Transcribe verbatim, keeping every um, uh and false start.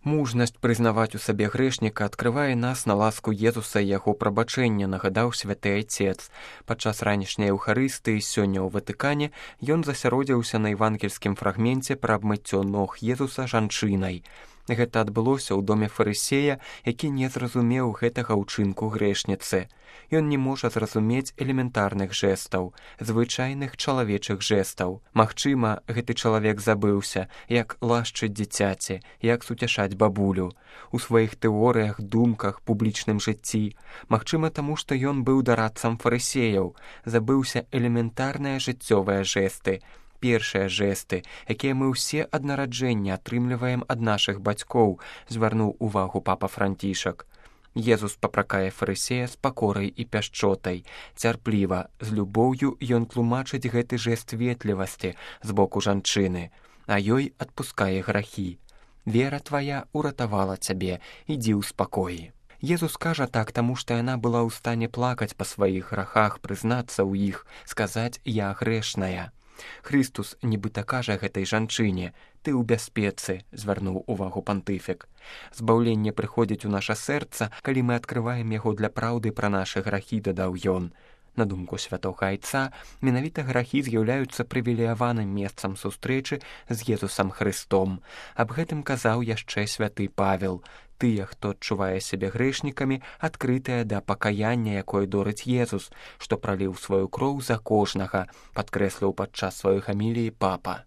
Мужнасць прызнаваць у сабе грэшніка адкрывае нас на ласку Езуса і яго прабачэння, нагадаў святы Айцец. Падчас ранішняй Еўхарыстыі сёння ў Ватыкане ён засяродзіўся на евангельскім фрагменце пра абмыццё ног Езуса жанчынай. Гэта адбылося ў доме фарысея, які не зразумеў гэтага ўчынку грэшніцы. Ён не можа зразумець элементарных жэстаў, звычайных чалавечых жэстаў. Магчыма, гэты чалавек забыўся, як лашчыць дзіцяці, як суцяшаць бабулю. У сваіх тэорыях, думках, публічным жыцці. Магчыма, таму што ён быў дарадцам фарысеяў, забыўся элементарныя жыццёвыя жэсты. Першыя жэсты, якія мы ўсе ад нараджэння атрымліваем ад нашых бацькоў, звярнуў увагу папа Францішак. Езус папракае фарысея з пакорай і пяшчотай. Цярпліва, з любоўю ён тлумачыць гэты жэст ветлівасці з боку жанчыны, а ёй адпускае грахі. Вера твая уратавала цябе, ідзі ў спакоі. Езус кажа так, таму што яна была ў стане плакаць па сваіх грахах, прызнацца ў іх, сказаць «я грэшная». Христус нібыта кажа гэтай жанчыне «ты ў бяспецы», звярнуў увагу пантыфік. Збаўленне прыходзіць у наша сэрца, калі мы адкрываем яго для праўды пра нашы грахі, дадаў ён. На думку святога Айца, менавіта грахі з'яўляюцца прывілеяваным месцам сустрэчы з Езусам Христом. Аб гэтым казаў яшчэ святы Павел. Тыя, хто адчувае сябе грэшнікамі, адкрытыя да пакаяння, якое дорыць Езус, што праліў сваю кроў за кожнага, падкрэсліў падчас сваёй гаміліі папа.